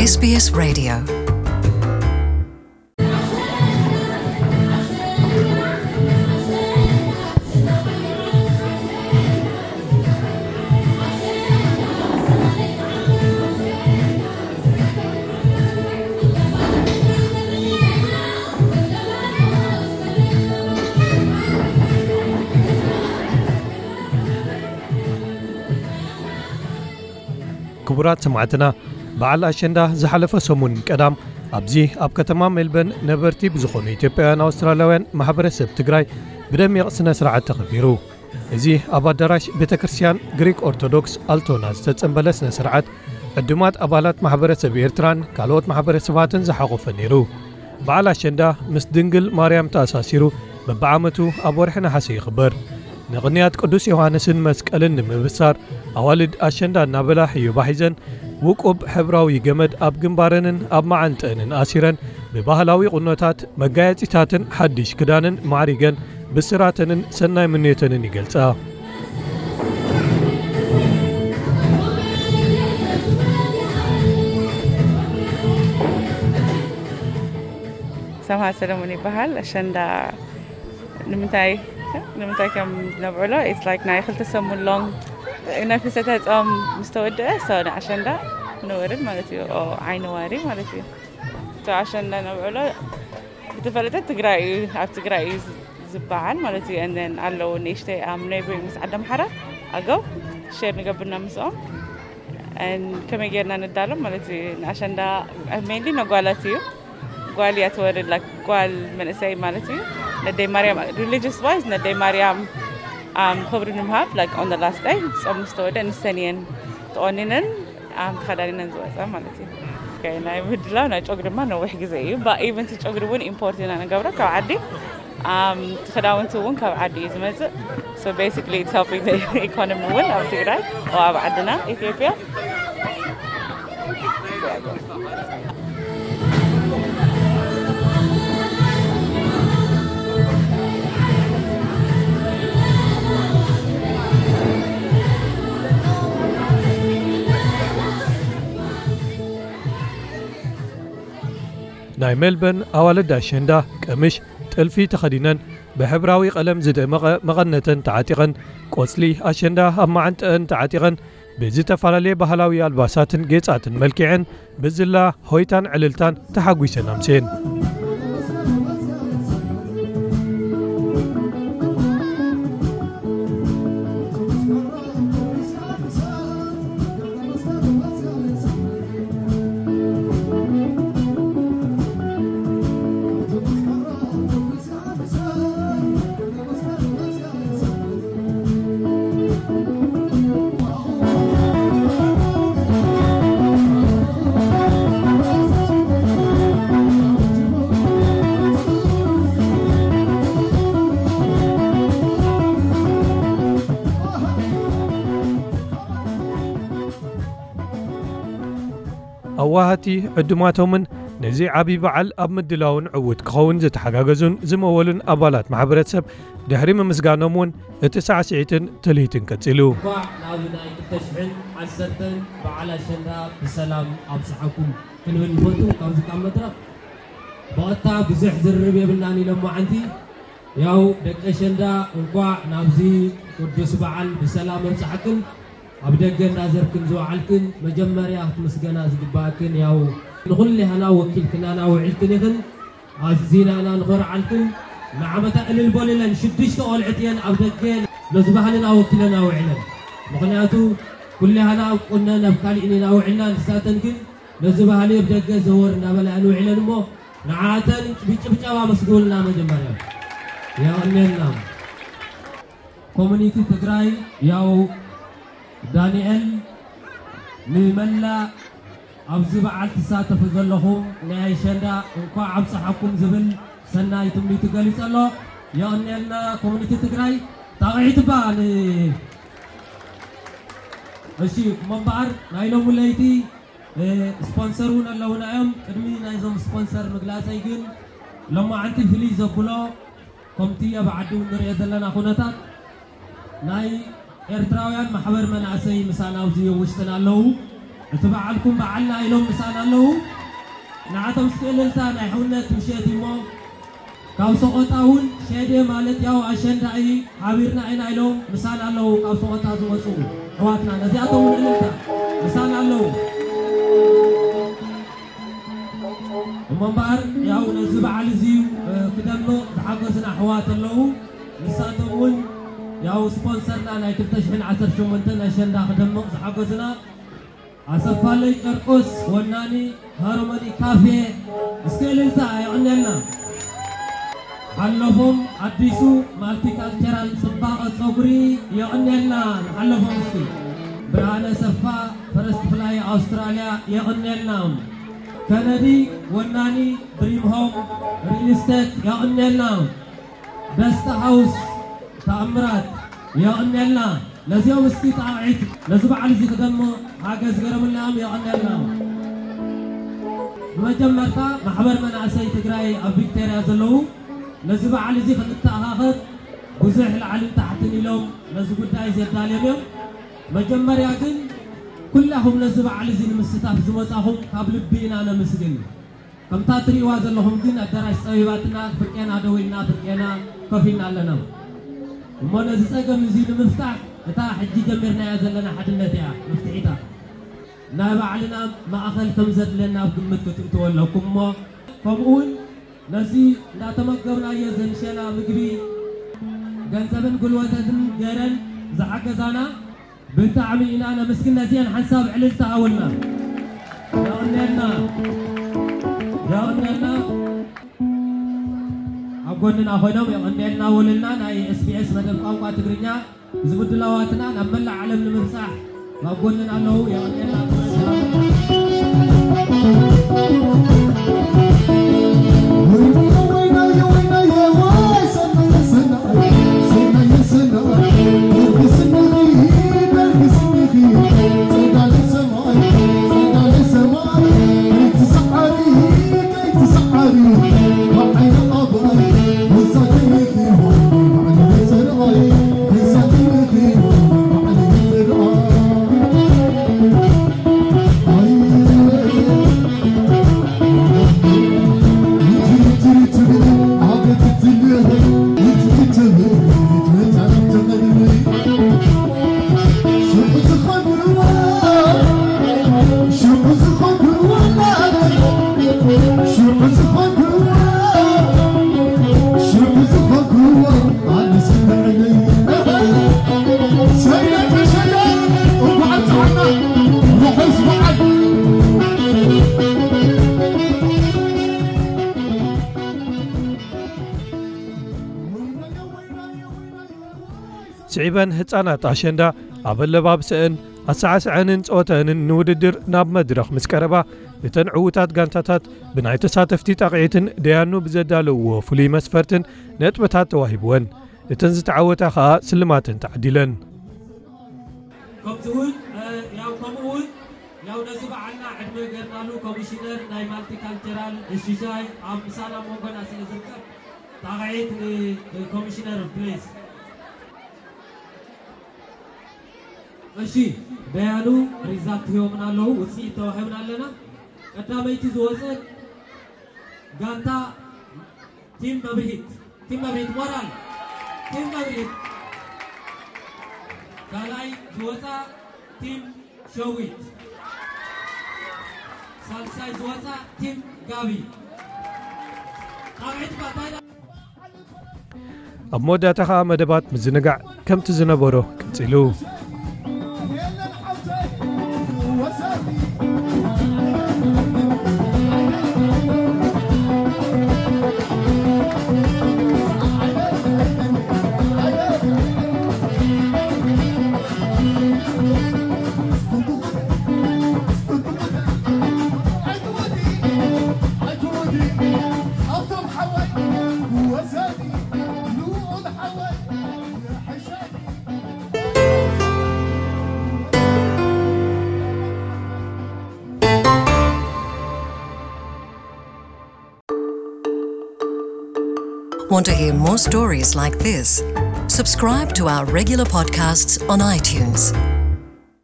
S B S Radio. ክቡራት ሰማዕትና፣ በዓል ኣሸንዳ ዝሓለፈ ሰሙን ቀዳም ኣብዚ ኣብ ከተማ ሜልበርን ነበርቲ ብዝኾኑ ኢትዮጵያውያን ኣውስትራልያውያን ማሕበረሰብ ትግራይ ብደሚቕ ስነ ስርዓት ተኸቢሩ። እዚ ኣብ ኣዳራሽ ቤተ ክርስቲያን ግሪክ ኦርቶዶክስ ኣልቶና ዝተጸንበለ ስነ ስርዓት ዕዱማት ኣባላት ማሕበረሰብ ኤርትራን ካልኦት ማሕበረሰባትን ዝሓቖፈ ነይሩ። በዓል ኣሸንዳ ምስ ድንግል ማርያም ተኣሳሲሩ በብዓመቱ ኣብ ወርሒ ነሓሰ ይኽበር። ንቕንያት ቅዱስ ዮሃንስን መስቀልን ንምብሳር ኣዋልድ ኣሸንዳ እናበላ ሕዩባ ሒዘን ውቁብ ሕብራዊ ገመድ ኣብ ግንባረንን ኣብ መዓንጠአንን ኣሲረን ብባህላዊ ቁኖታት፣ መጋየጺታትን ሓድሽ ክዳንን ማዕሪገን ብስራተንን ሰናይ ምንዮተንን ይገልጻ። ሰምሃር ሰለሙን ይበሃል። ኣሸንዳ ንምንታይ ንምንታይ ከም ነብዕሎ፣ it's like ናይ ክልተ ሰሙን long ናይ ፍልሰተ ጾም ምስ ተወደአ፣ so ንኣሸንዳ ንወርድ ማለት እዩ። ኦ ዓይኒ ዋሪ ማለት እዩ። እቲ ኣሸንዳ ነብዕሎ ብተፈለጠ ትግራይ እዩ፣ ኣብ ትግራይ እዩ ዝበዓል ማለት እዩ። And then ኣለዉ ንእሽተይ ኣብ neighboring ምስ ዓዲ ኣምሓራ ኣገው share ንገብርና ምስኦም። And ከመይ ጌርና ንዳሎም ማለት እዩ። ንኣሸንዳ mainly ነጓላት እዩ። ጓል እያ ትወርድ፣ like ጓል መንእሰይ ማለት እዩ። ነደይ ማርያም፣ religious wise ነደይ ማርያም um, ክብሪ ንምሃብ፣ like on the last day ጾም ምስ ተወደ ንሰን እየን ተቆኒነን um, ተኸዳኒነን ዝወፃ ማለት እዩ። Okay፣ ናይ ምድላው ናይ ጨጉሪ ድማ ነዊሕ ግዜ እዩ። But even እቲ ጨጉሪ እውን import ኢና ንገብሮ ካብ ዓዲ። Um, እቲ ክዳውንቲ እውን ካብ ዓዲ እዩ ዝመፅእ። So basically it's helping the economy እውን ኣብ ትግራይ፣ ኣብ ዓድና ኢትዮጵያ። ናይ ሜልበርን ኣዋልድ ኣሸንዳ ቀምሽ ጥልፊ ተኸዲነን ብሕብራዊ ቀለም ዝደመቐ መቐነተን ተዓጢቐን ቆጽሊ ኣሸንዳ ኣብ መዓንጠአን ተዓጢቐን ብዝተፈላለየ ባህላዊ ኣልባሳትን ጌጻትን መልኪዐን ብዝላ ሆይታን ዕልልታን ተሓጒሰን ኣምስየን። ኣዋሃቲ ዕዱማቶምን ነዚ ዓብዪ በዓል ኣብ ምድላውን ዕዉት ክኸውን ዝተሓጋገዙን ዝመወሉን ኣባላት ማሕበረተሰብ ድሕሪ ምምስጋኖም እውን እቲ ሳዕስዒትን ትልሂትን ቀጺሉ። እንኳዕ ናብ ናይ ክልተ ሽሕን ዓሰርተን በዓል ኣሸንዳ ብሰላም ኣብጽሓኩም ክንብል ንፈቱ። ካብዚ ካብ መድረኽ ብቐጥታ ብዙሕ ዝርርብ የብልናን ኢሎም መዓንቲ ያው ደቂ ኣሸንዳ እንኳዕ ናብዚ ቅዱስ በዓል ብሰላም ኣብጽሓክን። ኣብ ደገ እናዘርክን ዝወዓልክን መጀመርያ ክትምስገና ዝግባእክን ያው ንኹሌህና ወኪልክናና ውዒልክን ኢኽን። ኣዚናና ንኾርዓልክን። ንዓመታ እልል በሉለን ሽዱሽተ ቆልዕት እየን ኣብ ደገ ነዚ ባህልና ወኪለን ኣውዒለን። ምኽንያቱ ኩሌህና ኣብ ቁነን ኣብ ካሊእን ኢና ውዒልና ንሳተን ግን ነዚ ባህሊ ኣብ ደገ ዘወር እናበላ እየን ውዒለን እሞ ንዓተን ብጭብጨባ መስግኑልና መጀመርያ የቐንየልና። ኮሚኒቲ ትግራይ ያው ዳንኤል ንመላእ ኣብዚ በዓል ትሳተፉ ዘለኹም ናይ ኣሸንዳ እንኳዕ ኣብፀሐኩም ዝብል ሰናይ ትምኒቱ ገሊፁ ኣሎ። የቐንየልና ኮሚኒቲ ትግራይ። ጣቕዒት እባ ን እሺ እሞ እምበኣር ናይ ሎሚ ለይቲ ስፖንሰር እውን ኣለውና እዮም። ቅድሚ ናይዞም ስፖንሰር ምግላፀይ ግን ሎማዓንቲ ፍልይ ዘብሎ ከምቲ ኣብ ዓዲ እውን ንሪኦ ዘለና ኩነታት ናይ ኤርትራውያን ማሕበር መናእሰይ ምሳና ኣብዚ ውሽጥና ኣለዉ። እቲ በዓልኩም በዓልና ኢሎም ምሳና ኣለዉ። ንዓቶም እስኪ እልልታ ናይ ሕውነት ምሸት እሞ ካብ ሰቆጣ እውን ሸዴ ማለት ያው ኣሸንዳ እዩ፣ ሓቢርና ኢና ኢሎም ምሳና ኣለዉ። ካብ ሰቆጣ ዝመፁ ኣሕዋትና ነዚኣቶም እውን እልልታ ምሳና ኣለዉ። እሞ እምበኣር ያው ነዚ በዓል እዚ ክደምቕ ዝሓገዙና ኣሕዋት ኣለዉ። ንሳቶም እውን ያው ስፖንሰርና ናይ ክልተ ሽሕን ዓሰርተ ሸሞንተን ኣሸንዳ ክደምቕ ዝሓገዙና ኣሰፋለይ ጨርቆስ ወናኒ ሃርሞኒ ካፌ እስከ እልልታ የቐንየልና። ሓለፎም ኣዲሱ ማልቲካልቸራል ጽባቐ ጸጉሪ የቐንየልና። ንሓለፎም እስኪ ብርሃነ ሰፋ ፈረስት ፍላይ ኣውስትራልያ የቐንየልና። ከነዲ ወናኒ ድሪም ሆም ሪል ስቴት የቐንየልና። ደስታ ሃውስ ተኣምራት የቐንየልና። ነዚኦም እስኪ ጣቕዒት ነዚ በዓል እዚ ክደምቕ ሓገዝ ገረምልናም የቐንየልና። ብመጀመርታ ማሕበር መናእሰይ ትግራይ ኣብ ቪክቶርያ ዘለዉ ነዚ በዓል እዚ ክንተኣኻኸብ ብዙሕ ላዕልን ታሕትን ኢሎም ነዚ ጉዳይ ዘዳልዮም እዮም። መጀመርያ ግን ኩላኹም ነዚ በዓል እዚ ንምስታፍ ዝመጻኹም ካብ ልቢ ኢና ነመስግን። ከምታ ትርእይዋ ዘለኹም ግን ኣዳራሽ ጸቢባትና ፍርቄና ደው ኢልና ፍርቄና ኮፍ ኢልና ኣለና። እሞ ነዚ ጸገም እዚ ንምፍታሕ እታ ሕጂ ጀሚርናያ ዘለና ሓድነት እያ መፍትሒታ። ናይ ባዕልና ማእኸል ከም ዘድለና ኣብ ግምት ክትእትዎ ኣለኩም እሞ ከምኡ እውን ነዚ እንዳተመገብናዮ ዘምሸና ምግቢ ገንዘብን ጉልበትን ገረን ዝሓገዛና ብጣዕሚ ኢና ነመስግን። ነዚአን ሓንሳብ ዕልልታ ሃቡልና። የቐንየልና። የቐንየልና። ኣብ ጎንና ኮይኖም የቐንየልና ወለልና ናይ ኤስ ቢ ኤስ መደብ ቋንቋ ትግርኛ እዚ ምድላዋትና ናብ መላእ ዓለም ንምብጻሕ ኣብ ጎንና ኣለዉ። የቐንየልና። ስዒበን ህጻናት ኣሸንዳ ኣብ ኣለባብሰአን ኣሰዓስዐንን ጸወተአንን ንውድድር ናብ መድረኽ ምስ ቀረባ እተን ዕዉታት ጋንታታት ብናይ ተሳተፍቲ ጣቕዒትን ደያኑ ብዘዳለውዎ ፍሉይ መስፈርትን ነጥብታት ተዋሂብወን። እተን ዝተዓወታ ኸኣ ስልማተን ተዓዲለን። ከምዚ እውን ያው ከምኡ እውን ያው ነዚ በዓልና ዕድመ ገርናሉ ኮሚሽነር ናይ ማልቲካልቸራል ሽሻይ ኣብ ምሳና መንጎና ስለ ዝርከብ ጣቕዒት ንኮሚሽነር ፕሊዝ። እሺ ደያኑ ሪዛልት ሂቦምና ኣለዉ፣ ውፅኢት ተዋሂብና ኣለና። ቀዳመይቲ ዝወፀት ጋንታ ቲም መብርሂት፣ ቲም መብርሂት ሞራል፣ ቲም መብርሂት። ካልኣይ ዝወፃ ቲም ሸዊት፣ ሳልሳይ ዝወፃ ቲም ጋቢ። ጣቕዒት ባታይላ ኣብ መወዳእታ ኸኣ መደባት ምዝንጋዕ ከምቲ ዝነበሮ ቀጺሉ። Want to hear more stories like this? Subscribe to our regular podcasts on iTunes.